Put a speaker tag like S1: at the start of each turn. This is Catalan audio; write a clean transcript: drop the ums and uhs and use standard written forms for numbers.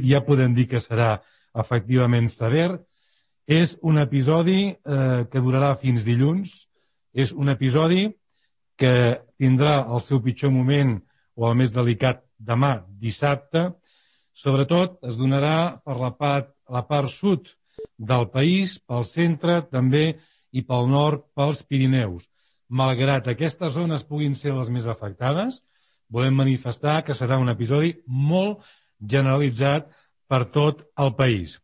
S1: ja podem dir que serà efectivament sever. És un episodi que durarà fins dilluns. És un episodi que tindrà el seu pitjor moment o el més delicat demà, dissabte. Sobretot es donarà per la part sud del país, pel centre també i pel nord, pels Pirineus. Malgrat aquestes zones puguin ser les més afectades, volem manifestar que serà un episodi molt generalitzat per tot el país.